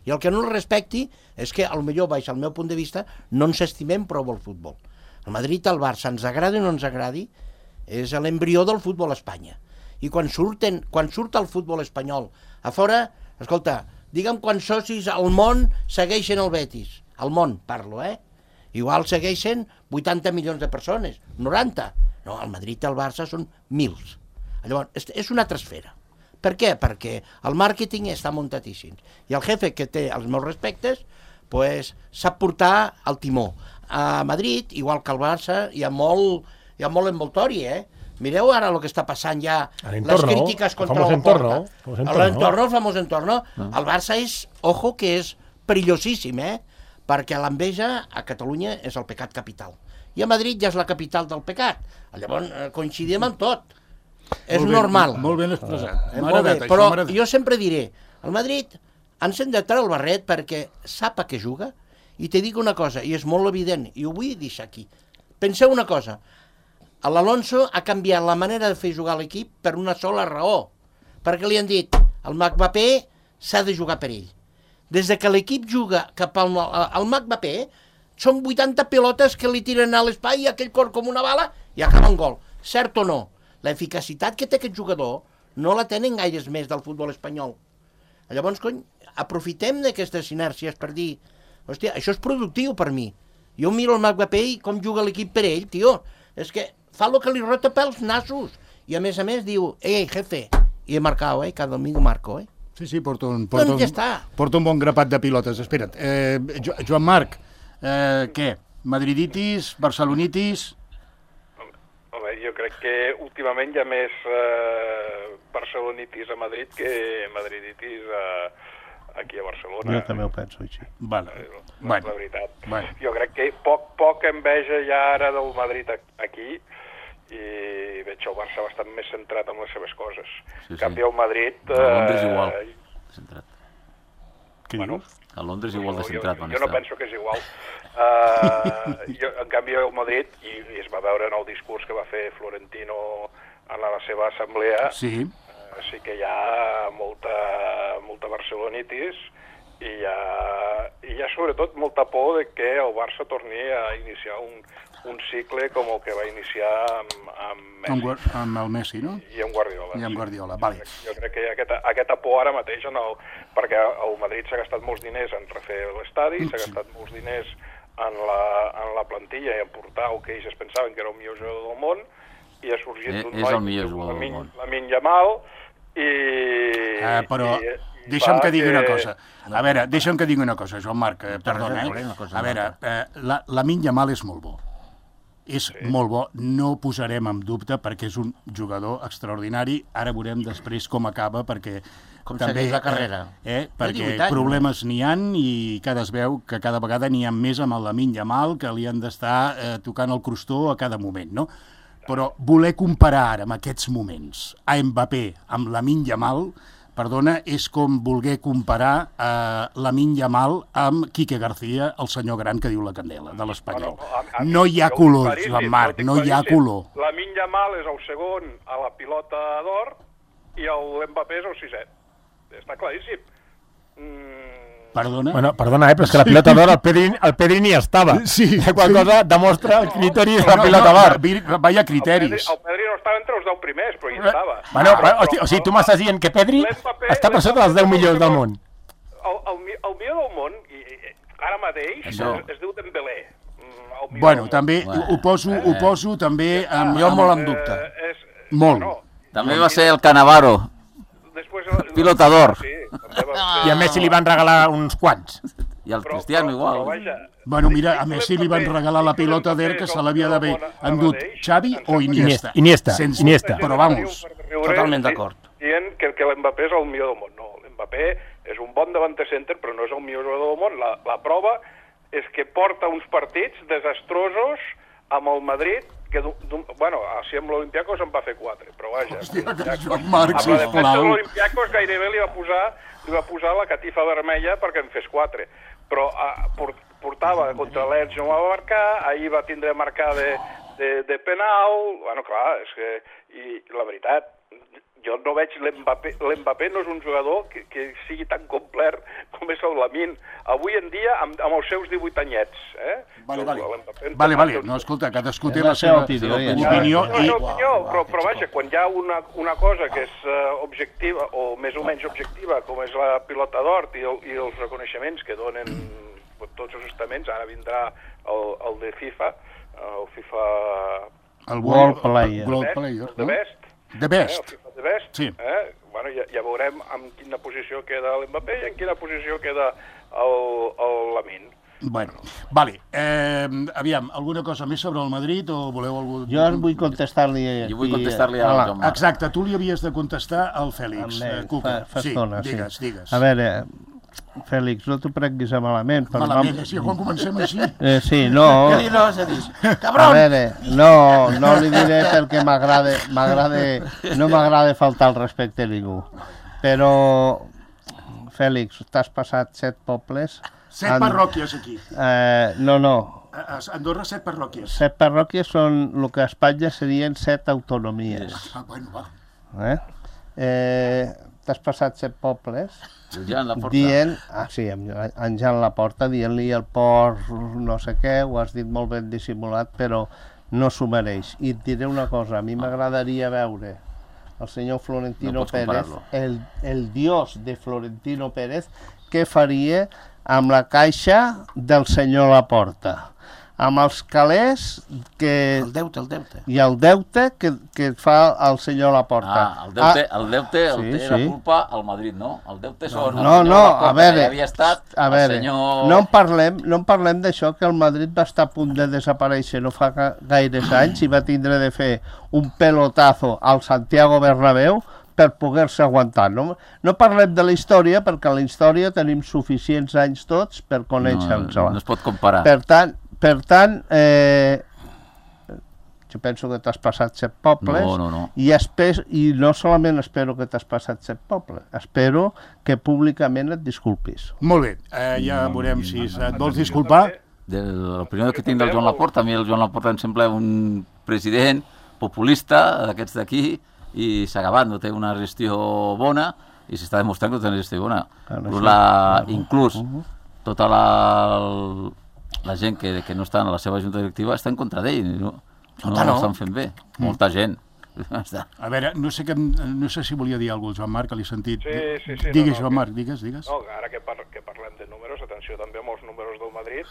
I el que no el respecti és que, potser, baix al meu punt de vista, no ens estimem prou el futbol. El Madrid, el Barça, ens agradi o no ens agradi, és l'embrió del futbol a Espanya. I quan surt el futbol espanyol a fora, escolta, digue'm quants socis al món segueixen el Betis. Al món, parlo, Igual segueixen 80 milions de persones, 90. No, el Madrid i el Barça són mils. Llavors, és una altra esfera. Per què? Perquè el màrqueting està muntatíssim. I el jefe, que té els meus respectes, sap portar el timó. A Madrid, igual que al Barça, hi ha molt envoltori, Mireu ara el que està passant ja, les crítiques contra la Porta. El famós entorno. El Barça és, ojo, que és perillosíssim, perquè l'enveja a Catalunya és el pecat capital. I a Madrid ja és la capital del pecat. Llavors coincidim en tot. És normal. Molt ben expressat. Però jo sempre diré, el Madrid ens hem de treure el barret perquè sap a què juga. I te dic una cosa, i és molt evident, i ho vull deixar aquí. Penseu una cosa, l'Alonso ha canviat la manera de fer jugar l'equip per una sola raó, perquè li han dit, el Mbappé s'ha de jugar per ell. Des que l'equip juga cap al Mbappé, són 80 pilotes que li tiren a l'espai i aquell cor com una bala i acaba en gol. Cert o no? L'eficacitat que té aquest jugador no la tenen gaires més del futbol espanyol. Llavors, cony, aprofitem d'aquestes sinèrcies per dir, hòstia, això és productiu per mi. Jo miro el Mbappé i com juga l'equip per ell, tio. És que fa el que li rota pels nassos. I a més diu, jefe, i he marcat, cada domingo marco, Sí, porta un bon grapat de pilotes. Espera't, Joan Marc, què? Madriditis, barcelonitis? Home, jo crec que últimament hi ha més barcelonitis a Madrid que madriditis aquí a Barcelona. Jo també ho penso així. La veritat. Jo crec que poc enveja ja ara del Madrid aquí, i veig el Barça bastant més centrat en les seves coses. En canvi, el Madrid... A Londres igual, centrat. Què dius? A Londres igual de centrat. Jo no penso que és igual. En canvi, el Madrid, i es va veure en el discurs que va fer Florentino en la seva assemblea, sí que hi ha molta barcelonitis i hi ha sobretot molta por de que el Barça torni a iniciar un cicle com el que va iniciar amb Messi. Amb el Messi, no? I amb Guardiola. I amb Guardiola, vale. Jo crec que hi ha aquesta por ara mateix, perquè el Madrid s'ha gastat molts diners en refer l'estadi, s'ha gastat molts diners en la plantilla i en portar el que ells es pensaven que era el millor jugador del món, i ha sorgit un noi, Lamine Yamal, però deixa'm que digui una cosa. A veure, deixa'm que digui una cosa, Joan Marc, perdona, A veure, Lamine Yamal és molt bo. És molt bo, no ho posarem en dubte perquè és un jugador extraordinari. Ara veurem després com acaba, perquè com també la carrera. Perquè problemes n'hi han i es veu que cada vegada n'hi ha més amb el Lamine Yamal, que li han d'estar tocant el crostó a cada moment, no? Però voler comparar ara amb aquests moments a Mbappé amb Lamine Yamal, perdona, és com voler comparar Lamine Yamal amb Quique García, el senyor gran que diu la candela, de l'Espanyol. No hi ha color, Joan Marc, no hi ha color. Lamine Yamal és el segon a la pilota d'or i l'Mbappé és el sisè. Està claríssim. Perdona? Bueno, perdona, però és que la pilota d'or el Pedri ni estava. Sí. Qual cosa demostra el criteri de la pilota d'or. Vaya criteris. El Pedri no estava entre els 10 primers, però hi estava. Bueno, o sigui, tu m'estàs dient que Pedri està per sota dels 10 millors del món. El millor del món, ara mateix, es diu Dembélé. Bueno, també ho poso també... Jo molt en dubte. Molt. També va ser el Cannavaro. Pilota d'or. I a Messi li van regalar uns quants. I al Cristiano igual. Bueno, mira, a Messi li van regalar la pilota d'or que se l'havia d'haver endut Xavi o Iniesta. Iniesta. Però vamos, totalment d'acord. Dient que l'Mbappé és el millor del món. No, l'Mbappé és un bon davanter center, però no és el millor jugador del món. La prova és que porta uns partits desastrosos amb el Madrid, que, bueno, si amb l'Olympiacos en va fer 4, però vaja. Hòstia, que Joan Marc, sisplau. Amb la defensa de l'Olympiacos gairebé li va posar la catifa vermella perquè en fes 4, però portava contra l'Elx, no va marcar, ahir va tindre a marcar de penal, bueno, clar, és que, i la veritat, jo no veig l'Mbappé no és un jugador que sigui tan complet com és el Lamine. Avui en dia, amb els seus 18 anyets. Vale. No, escolta, cadascú té la seva opinió. Però vaja, quan hi ha una cosa que és objectiva, o més o menys objectiva, com és la pilota d'or i els reconeixements que donen tots els estaments, ara vindrà el de FIFA, el FIFA... El World Player. The Best, sí. Bueno, ja veurem en quina posició queda l'Mbappé i en quina posició queda el Lamine. Bueno, vale. Aviam, alguna cosa més sobre el Madrid o voleu algú... Jo vull contestar-li... Jo vull contestar-li a Joan Marc. Exacte, tu li havies de contestar al Fèlix. Fa estona, sí. Digues. A veure, Fèlix, no t'ho prenguis a malament. Malament, quan comencem així? Sí, no. Què dir, no, s'ha dit? Cabron! A veure, no li diré perquè no m'agrada faltar el respecte a ningú. Però, Fèlix, t'has passat 7 pobles... 7 parròquies aquí. No. A Andorra 7 parròquies. 7 parròquies són el que a Espanya serien 7 autonomies. Bueno, va. t'has passat 7 pobles dient... sí, en Jan Laporta, dient-li el port no sé què, ho has dit molt ben dissimulat, però no s'ho mereix. I et diré una cosa, a mi m'agradaria veure el senyor Florentino Pérez, el dios de Florentino Pérez, què faria amb la caixa del senyor Laporta, amb els calés que... El deute. I el deute que fa el senyor Laporta. El deute té la culpa al Madrid, no? El deute són... No, a veure, senyor... no en parlem d'això, que el Madrid va estar a punt de desaparèixer no fa gaires anys i va tindre de fer un pelotazo al Santiago Bernabéu per poder-se aguantar. No parlem de la història, perquè a la història tenim suficients anys tots per conèixer-nos-la. No es pot comparar. Per tant, jo penso que t'has passat 7 pobles. No. I no solament espero que t'has passat 7 pobles, espero que públicament et disculpis. Molt bé, ja veurem si et vols disculpar. L'opinió que tinc del Joan Laporta, a mi el Joan Laporta em sembla un president populista d'aquests d'aquí, i s'ha acabat, no té una gestió bona, i s'està demostrant que no té una gestió bona. Inclús tota la gent que no està en la seva junta directiva està en contra d'ell, no estan fent bé, molta gent. A veure, no sé si volia dir alguna cosa, Joan Marc, que l'he sentit. Sí. Digues, Joan Marc, digues. No, ara que parlem de números, atenció també amb els números del Madrid,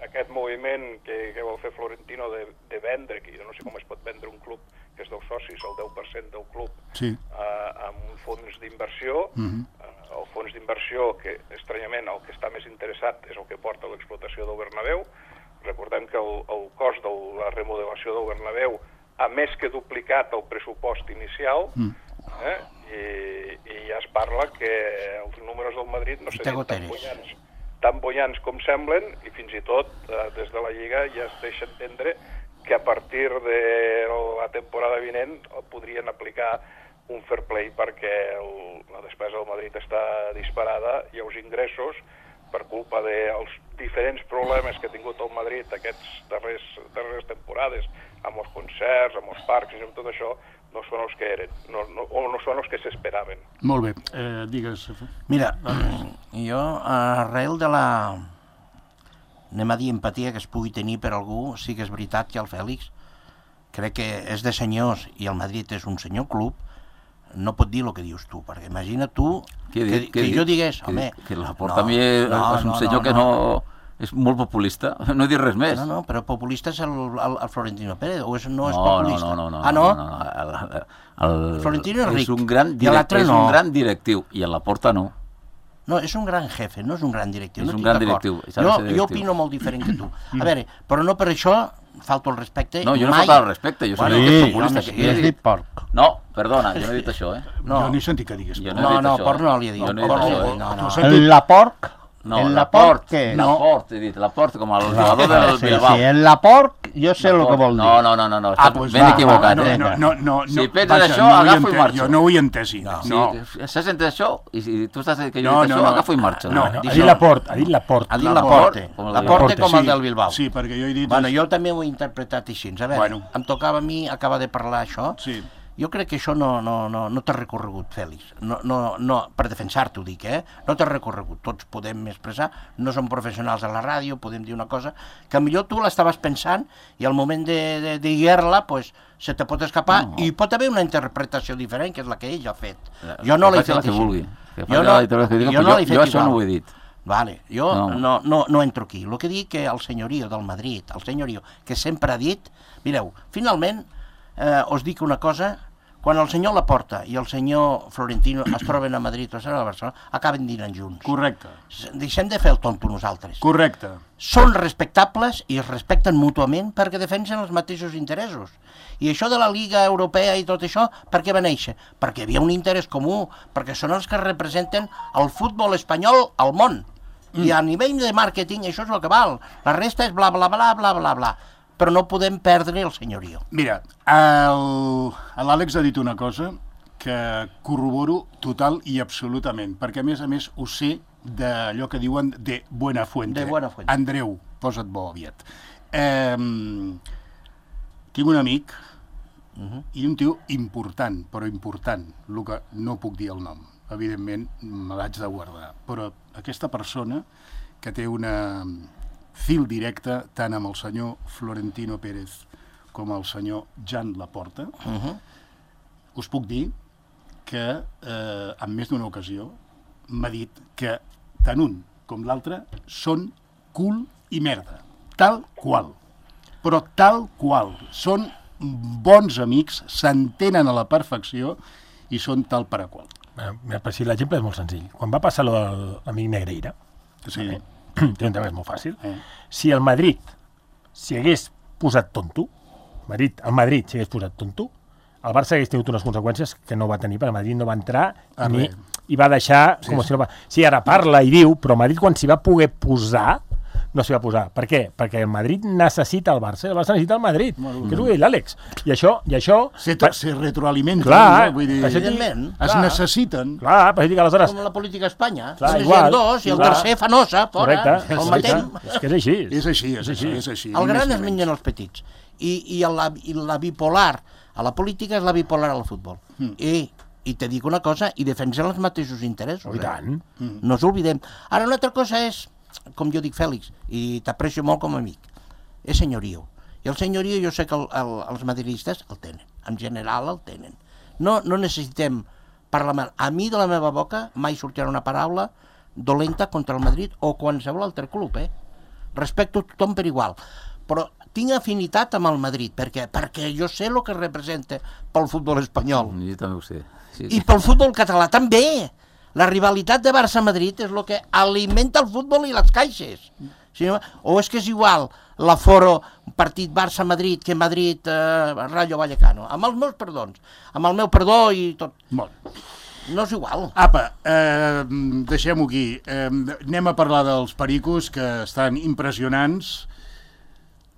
aquest moviment que vol fer Florentino de vendre, que jo no sé com es pot vendre un club que és dels socis, el 10% del club, amb un fons d'inversió, el fons d'inversió que, estranyament, el que està més interessat és el que porta l'explotació del Bernabéu. Recordem que el cost de la remodelació del Bernabéu ha més que duplicat el pressupost inicial, i ja es parla que els números del Madrid no serien tan bollants com semblen, i fins i tot des de la Lliga ja es deixa entendre que a partir de la temporada vinent podrien aplicar un fair play perquè la despesa del Madrid està disparada i els ingressos, per culpa dels diferents problemes que ha tingut el Madrid aquests darreres temporades, amb els concerts, amb els parcs i amb tot això, no són els que eren, o no són els que s'esperaven. Molt bé, digues. Mira, jo arrel de la, anem a dir, empatia que es pugui tenir per algú, sí que és veritat que el Fèlix crec que és de senyors i el Madrid és un senyor club, no pot dir el que dius tu, perquè imagina tu que jo digués, home... Que Laporta a mi és un senyor que no... És molt populista, no he dit res més. No, però populista és el Florentino Pérez, o no és populista? No. Ah, no? El Florentino és ric, és un gran directiu, i el Laporta no. No, és un gran jefe, no és un gran directiu. És un gran directiu. Jo opino molt diferent que tu. A veure, però no per això falto el respecte. No, jo no falto el respecte, jo soc populista. Jo he dit porc. No, perdona, jo no he dit això, Jo no he sentit que digues porc. No, porc no li he dit. La porc? No, Laporte, què? Laporte, he dit, Laporte, com el jugador del Bilbao. Sí, en Laporte jo sé el que vol dir. No, estàs ben equivocat. Si penses això, agafo i marxo. Jo no ho he entès. Si has entès això, i tu estàs que jo he dit això, agafo i marxo. Ha dit Laporte. Ha dit Laporte. Laporte com el del Bilbao. Sí, perquè jo he dit... Bueno, jo també ho he interpretat així. A veure, em tocava a mi acabar de parlar això. Sí. Jo crec que això no t'ha recorregut, Fèlix. No, per defensar-t'ho dic, no t'ha recorregut. Tots podem expressar, no som professionals a la ràdio, podem dir una cosa, que millor tu l'estaves pensant i al moment de dir-la, pues, se te pot escapar i pot haver una interpretació diferent, que és la que ell ha fet. Jo no l'he fet així. Jo això no ho he dit. Vale, jo no entro aquí. El que dic que el senyorio del Madrid, el senyorio que sempre ha dit, mireu, finalment, us dic una cosa, quan el senyor Laporta i el senyor Florentino es troben a Madrid o a Barcelona, acaben dinant junts. Correcte. Deixem de fer el tonto nosaltres. Correcte. Són respectables i es respecten mútuament perquè defensen els mateixos interessos. I això de la Lliga Europea i tot això, per què va néixer? Perquè hi havia un interès comú, perquè són els que representen el futbol espanyol al món. I a nivell de màrqueting això és el que val. La resta és bla, bla, bla, bla, bla, bla. Però no podem perdre el senyorio. Mira, l'Àlex ha dit una cosa que corroboro total i absolutament, perquè a més ho sé d'allò que diuen de Buena Fuente. De Buena Fuente. Andreu, posa't bo aviat. Tinc un amic i un tio important, però important, el que no puc dir el nom. Evidentment, me l'haig de guardar. Però aquesta persona que té una fil directe tant amb el senyor Florentino Pérez com el senyor Jan Laporta, us puc dir que en més d'una ocasió m'ha dit que tant un com l'altre són cul i merda. Tal qual. Però tal qual. Són bons amics, s'entenen a la perfecció i són tal per a qual. Per si l'exemple és molt senzill. Quan va passar l'amic Negreira, és molt fàcil, si el Madrid s'hi hagués posat tonto, el Madrid s'hi hagués posat tonto, el Barça hagués tingut unes conseqüències que no va tenir, perquè el Madrid no va entrar i va deixar com si no va... Sí, ara parla i diu, però el Madrid quan s'hi va poder posar no s'hi va posar. Per què? Perquè el Madrid necessita el Barça, el Barça necessita el Madrid, que és el que diu l'Àlex. I això... Se retroalimenten. Clar, vull dir, es necessiten. Clar, per dir que aleshores... Com la política a Espanya. Només hi ha dos i el tercer fa nosa, fora, el matem. És que és així. És així. El gran es mengen els petits. I la bipolar a la política és la bipolar al futbol. I te dic una cosa, i defensen els mateixos interessos. I tant. No us oblidem. Ara, una altra cosa és, com jo dic, Fèlix, i t'aprecio molt com a amic, és senyorio. I el senyorio jo sé que els madridistes el tenen. En general el tenen. No necessitem parlar... A mi de la meva boca mai sortirà una paraula dolenta contra el Madrid o qualsevol altre club, Respecto a tothom per igual. Però tinc afinitat amb el Madrid. Per què? Perquè jo sé el que representa pel futbol espanyol. Jo també ho sé. Sí. I pel futbol català també. La rivalitat de Barça-Madrid és el que alimenta el futbol i les caixes. O és que és igual l'aforo partit Barça-Madrid que Madrid-Rayo Vallecano. Amb els meus perdons. Amb el meu perdó i tot. Molt. No és igual. Apa, deixem-ho aquí. Anem a parlar dels pericos, que estan impressionants.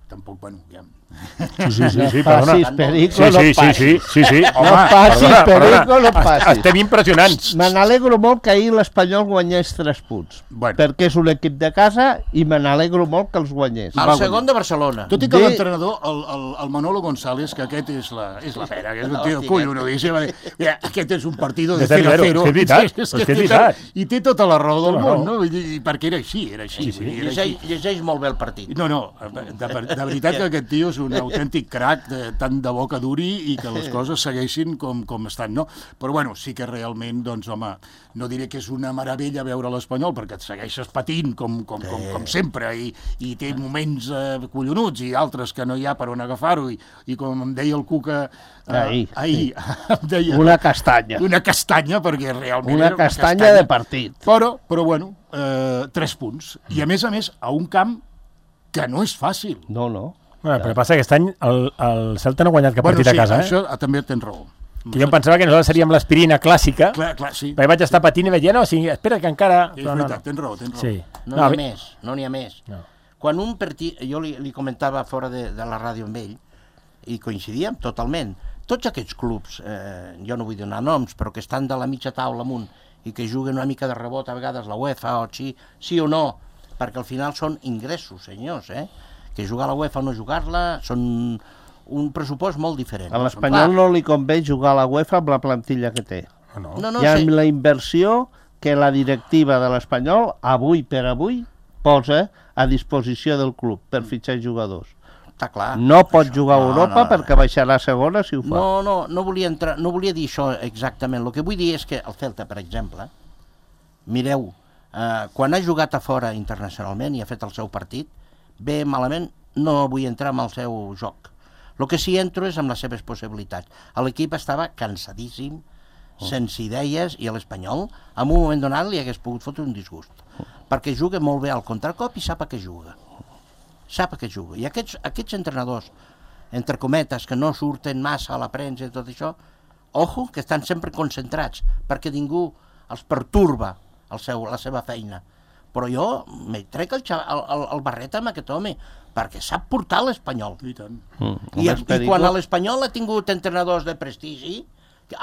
Tampoc, bueno, ja... Sí, perdona. Passis, perico, no passis. Sí. No passis, perico, no passis. Estem impressionants. Me n'alegro molt que ahir l'Espanyol guanyés 3 punts. Perquè és un equip de casa i me n'alegro molt que els guanyés. El segon de Barcelona. Tot i que l'entrenador, el Manolo González, que aquest és la pera, que és un tio collonudíssim, aquest és un partido de 0-0. És veritat. I té tota la raó del món, no? Perquè era així. Llegeix molt bé el partit. No, de veritat que aquest tio és un autèntic crac, tant de bo que duri i que les coses segueixin com estan, no? Però, bueno, sí que realment, doncs, home, no diré que és una meravella veure l'Espanyol, perquè et segueixes patint com sempre, i té moments collonuts i altres que no hi ha per on agafar-ho, i com em deia el Cuca ahir una castanya. Una castanya, perquè realment una castanya de partit. Però bueno, 3 punts. I a més, a un camp que no és fàcil. No. Bueno, però passa que aquest any el Celta no ha guanyat cap partit a casa. Això també tens raó. Que jo em pensava que nosaltres seríem l'aspirina clàssica, clar, sí. perquè vaig estar patint i vaig dir, espera que encara... És veritat, tens raó. Sí. No n'hi ha més. Quan un partit... Jo li comentava fora de la ràdio amb ell, i coincidíem totalment. Tots aquests clubs, jo no vull donar noms, però que estan de la mitja taula amunt i que juguen una mica de rebot, a vegades la UEFA, o sí o no, perquè al final són ingressos, senyors, que jugar a la UEFA o no jugar-la són un pressupost molt diferent. A l'Espanyol no li convé jugar a la UEFA amb la plantilla que té. No, hi ha la inversió que la directiva de l'Espanyol, avui per avui, posa a disposició del club per fitxar jugadors. Està clar. No pot jugar a Europa perquè baixarà a segona si ho fa. No volia dir això exactament. El que vull dir és que el Celta, per exemple, mireu, quan ha jugat a fora internacionalment i ha fet el seu partit, bé, malament, no vull entrar en el seu joc. El que sí entro és amb les seves possibilitats. L'equip estava cansadíssim, sense idees, i a l'Espanyol, en un moment donat, li hagués pogut fotre un disgust. Perquè juga molt bé al contracop i sap a què juga. I aquests entrenadors, entre cometes, que no surten massa a la premsa i tot això, ojo, que estan sempre concentrats, perquè ningú els perturba la seva feina. Però jo me trec el barret amb aquest home, perquè sap portar l'Espanyol. I tant. I quan a l'Espanyol ha tingut entrenadors de prestigi,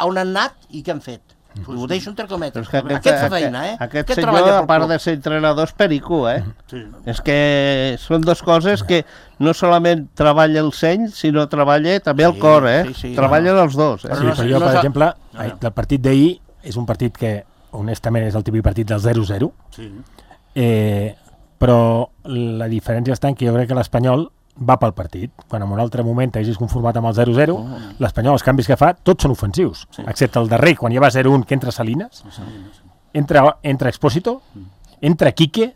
on han anat i què han fet? Ho deixo entre cometes. Aquest fa feina, Aquest senyor, a part de ser entrenador, és perico, És que són dues coses que no solament treballa el seny, sinó treballa també el cor, Treballen els dos. Sí, però jo, per exemple, el partit d'ahir és un partit que, honestament, és el típic partit del 0-0, però la diferència està en que jo crec que l'Espanyol va pel partit. Quan en un altre moment t'hagis conformat amb el 0-0, l'Espanyol, els canvis que fa, tots són ofensius, excepte el darrer, quan ja va 0-1, que entra Salinas, entra Expósito, entra Quique,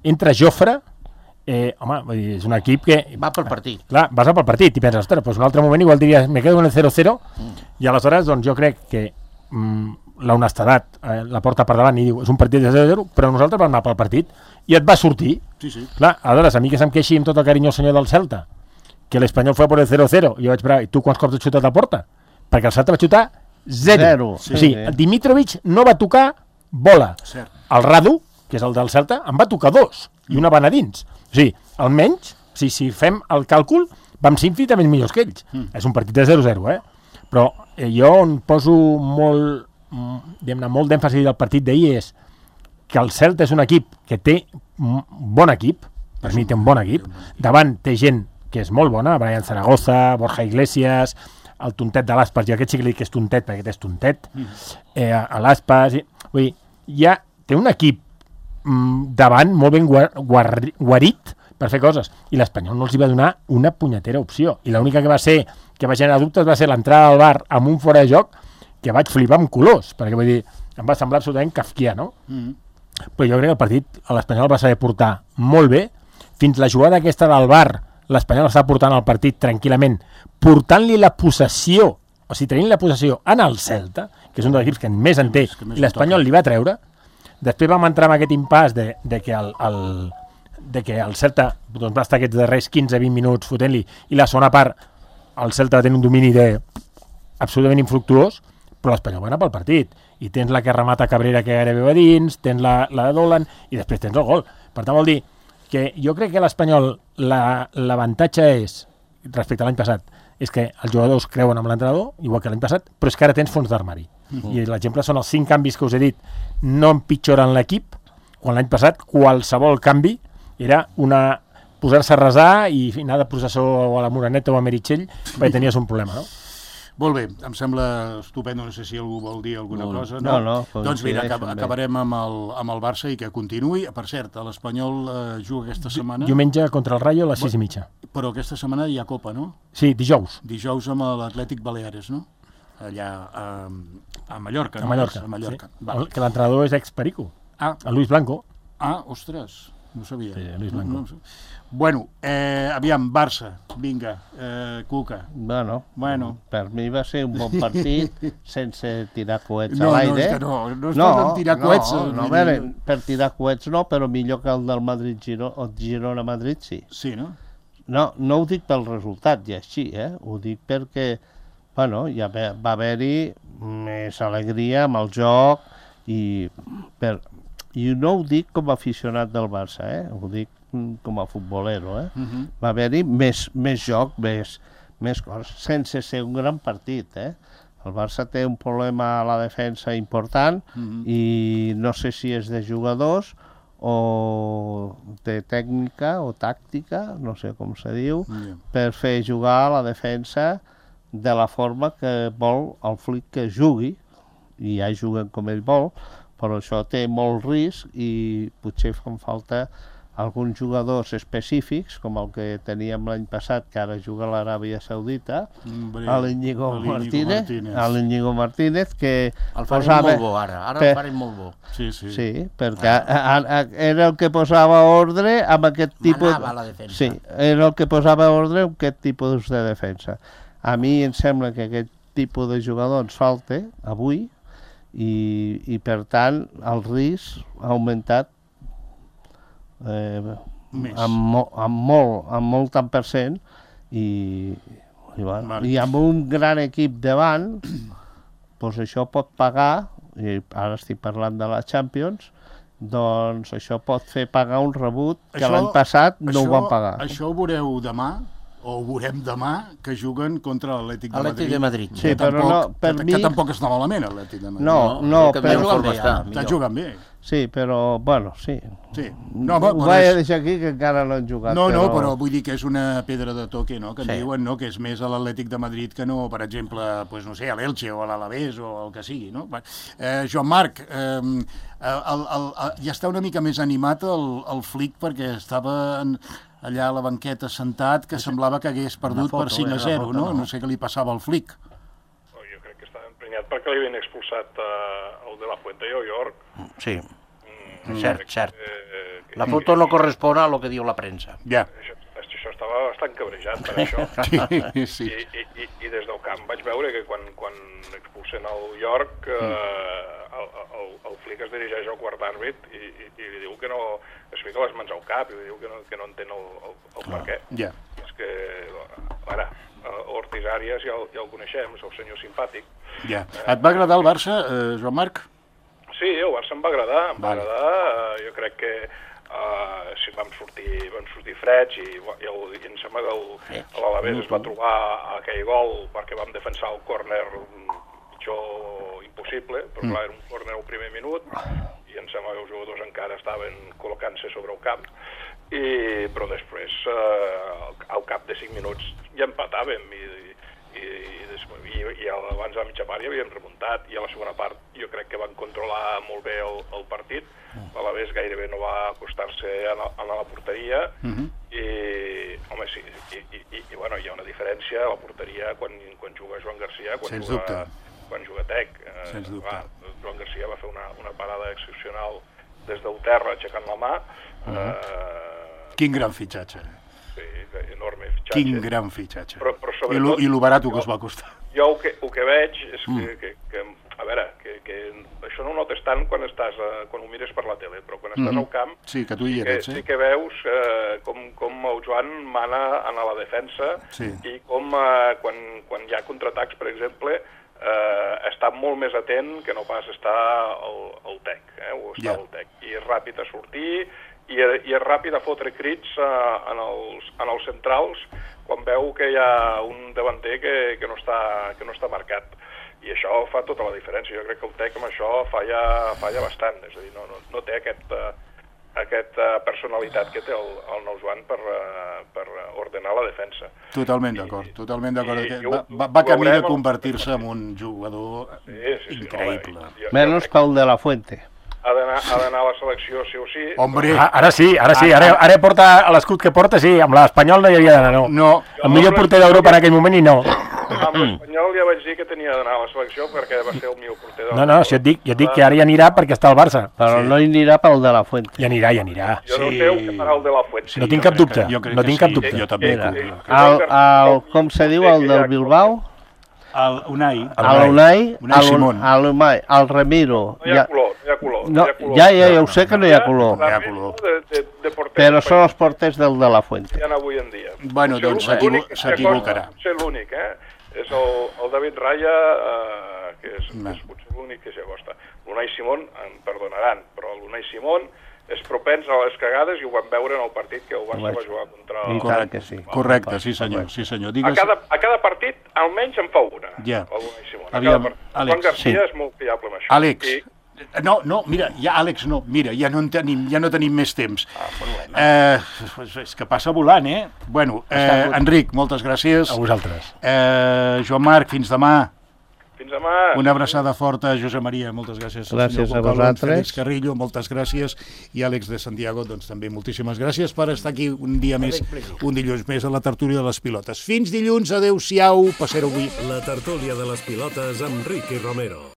entra Jofre, home, és un equip que... Va pel partit. Clar, vas pel partit i penses, ostres, doncs un altre moment igual diries, me quedo en el 0-0, i aleshores, doncs jo crec que la honestedat la porta per davant i diu, és un partit de 0-0, però nosaltres vam anar pel partit i et va sortir. Clar, aleshores, a mi que se'm queixi amb tot el carinyo el senyor del Celta, que l'Espanyol fue por el 0-0, i jo vaig parar, i tu quants cops has xutat a porta? Perquè el Celta va xutar 0. El Dimitrovic no va tocar bola. El Radu, que és el del Celta, en va tocar 2, i una van a dins. O sigui, almenys, si fem el càlcul, vam ser infinitament millors que ells. És un partit de 0-0, però jo on poso molt d'èmfasi del partit d'ahir és que el Celta és un equip que té un bon equip, per mi té un bon equip, davant té gent que és molt bona, Brian Zaragoza, Borja Iglesias, el tontet de l'Aspas, jo aquest sí que li dic que és tontet perquè aquest és tontet, a l'Aspas, vull dir, ja té un equip davant molt ben guarit per fer coses, i l'Espanyol no els hi va donar una punyetera opció, i l'única que va ser, que va generar dubtes, va ser l'entrada al bar amb un fora de joc que vaig flipar amb colors, perquè vull dir, em va semblar absolutament kafkià, no? Però jo crec que el partit a l'Espanyol va saber portar molt bé, fins la jugada aquesta del bar, l'Espanyol està portant el partit tranquil·lament, portant-li la possessió, o sigui, tenint la possessió en el Celta, que és un dels equips que més en té, i l'Espanyol li va treure. Després vam entrar en aquest impàs de que el Celta doncs, va estar aquests darrers 15-20 minuts fotent-li, i la segona part el Celta va tenir un domini absolutament infructuós, però l'Espanyol va anar pel partit, i tens la que remata Cabrera que gairebé va dins, tens la de Dolan, i després tens el gol. Per tant, vol dir que jo crec que l'Espanyol l'avantatge és, respecte a l'any passat, és que els jugadors creuen amb l'entrenador, igual que l'any passat, però és que ara tens fons d'armari. I l'exemple són els 5 canvis que us he dit, no empitjoren l'equip, quan l'any passat qualsevol canvi era posar-se a resar i anar de processó a la Moreneta o a Meritxell perquè tenies un problema, no? Molt bé, em sembla estupendo, no sé si algú vol dir alguna cosa. No. Doncs mira, acabarem amb el Barça i que continuï. Per cert, l'Espanyol juga aquesta setmana... Diumenge contra el Rayo a les 6:30. Però aquesta setmana hi ha Copa, no? Sí, dijous. Dijous amb l'Atlètic Baleares, no? Allà a Mallorca. A Mallorca, sí. Que l'entrenador és ex-Perico, el Luis Blanco. Ostres, no sabia. Sí, Luis Blanco. No. Bueno, aviam, Barça, vinga, Cuca. Bueno, per mi va ser un bon partit sense tirar coets a l'aire. No es poden tirar coets. No, per tirar coets no, però millor que el del Girona-Madrid sí. Sí, no? No ho dic pel resultat, ja així, ho dic perquè, bueno, ja va haver-hi més alegria amb el joc i no ho dic com a aficionat del Barça, ho dic com a futbolero, Va haver-hi més joc, més coses, sense ser un gran partit, El Barça té un problema a la defensa important i no sé si és de jugadors o de tècnica o tàctica, no sé com se diu, per fer jugar a la defensa de la forma que vol el Flick que jugui, i ja juguen com ell vol, però això té molt risc i potser fan falta alguns jugadors específics, com el que teníem l'any passat, que ara juga a l'Aràbia Saudita, l'Iñigo Martínez, que el farem molt bo ara el farem molt bo. Sí, perquè era el que posava ordre amb aquest tipus... Manava la defensa. Sí, era el que posava ordre amb aquest tipus de defensa. A mi em sembla que aquest tipus de jugador ens falta avui i per tant el risc ha augmentat amb molt tant per cent i amb un gran equip davant doncs això pot pagar, i ara estic parlant de la Champions, doncs això pot fer pagar un rebut que l'any passat no ho van pagar. Això ho veureu demà o ho veurem demà, que juguen contra l'Atlètic de Madrid. Atlètic de Madrid. Sí, però no, per mi... Que tampoc està malament, l'Atlètic de Madrid. No, però... Està jugant bé. Sí, però, bueno, sí. No, ho vaig a deixar aquí, que encara no han jugat. No, però vull dir que és una pedra de toque, no?, que en diuen, no?, que és més a l'Atlètic de Madrid que no, per exemple, pues, no sé, a l'Elche o a l'Alavés o el que sigui, no? Joan Marc, ja està una mica més animat el Flick perquè estava allà a la banqueta sentat, que semblava que hagués perdut per 5-0, no? No sé què li passava al Flick. Jo crec que estava emprenyat perquè li havien expulsat el de la Fuente i el York. Sí, cert. La foto no correspon a lo que diu la premsa. Ja. Això estava bastant cabrejat per això. Sí. I des del camp vaig veure que quan expulsen el York, el Flick es dirigeix al quart àrbit i li diu que no... es fica les mans al cap i li diu que no entén el per què. Ja. És que, ara, Ortiz Arias ja el coneixem, és el senyor simpàtic. Ja. Et va agradar el Barça, Joan Marc? Sí, el Barça em va agradar, jo crec que vam sortir freds i em sembla que l'Alavés es va trobar aquell gol perquè vam defensar el córner pitjor impossible, però clar, era un córner al primer minut i em sembla que els jugadors encara estaven col·locant-se sobre el camp, però després, al cap de 5 minuts ja empatàvem i abans de la mitja part ja havíem remuntat i a la segona part jo crec que van controlar molt bé el partit. L'Alavés gairebé no va acostar-se a la porteria i, home, sí, bueno, hi ha una diferència a la porteria quan juga Joan Garcia, quan juga Tec. Joan Garcia va fer una parada excepcional des del terra aixecant la mà. Quin gran fitxatge. Sí, enorme fitxatge. Quin gran fitxatge. Però sobretot... I lo barat que us va costar. Jo el que veig és que a veure, que això no ho notes tant quan ho mires per la tele, però quan estàs al camp sí que tu hi eres, sí que veus com el Joan mana a la defensa i com quan hi ha contraatacs, per exemple, està molt més atent que no pas està el Tec, o està el Tec. I és ràpid a sortir i és ràpid a fotre crits en els centrals quan veu que hi ha un davanter que no està marcat. I això fa tota la diferència. Jo crec que el Tec amb això falla bastant. És a dir, no té aquesta personalitat que té el nou Joan per ordenar la defensa. Totalment d'acord. Va camí de convertir-se en un jugador increïble. Menys pel de la Fuente. Ha d'anar a la selecció sí o sí. Hombre! Ara sí. Ara porta l'escut que porta, sí. Amb l'Espanyol no hi havia d'anar, no. El millor porter d'Europa en aquell moment i no. Amb l'Espanyol ja vaig dir que tenia d'anar a la selecció perquè va ser el millor porter d'Europa. No, si jo et dic que ara hi anirà perquè està al Barça. Però no hi anirà pel de la Fuente. Hi anirà. Jo no sé què farà el de la Fuente. No tinc cap dubte. Jo també. Com se diu el del Bilbao? El Unai Simón. El Ramiro. No hi ha color. Ja ho sé que no hi ha color. Però són els porters del de la Fuente. Hi ha avui en dia. Bueno, doncs s'equivocarà. Ser l'únic, és el David Raya, que és potser l'únic que s'hi acosta. L'Unai Simón, em perdonaran, però l'Unai Simón és propens a les cagades i ho vam veure en el partit que el Barça va jugar contra... Correcte, sí senyor. A cada partit almenys en fa una, el Unai Simón. Juan Garcia és molt fiable amb això. Àlex, mira, ja no tenim més temps. És que passa volant, Bueno, Enric, moltes gràcies. A vosaltres. Joan Marc, fins demà. Fins demà. Una abraçada forta, Josep Maria, moltes gràcies. Gràcies a vosaltres. Félix Carrillo, moltes gràcies. I Àlex de Santiago, doncs també moltíssimes gràcies per estar aquí un dia més, un dilluns més a la tertúlia de les pilotes. Fins dilluns, adeu-siau, passeu-ho bé. La tertúlia de les pilotes amb Ricky Romero.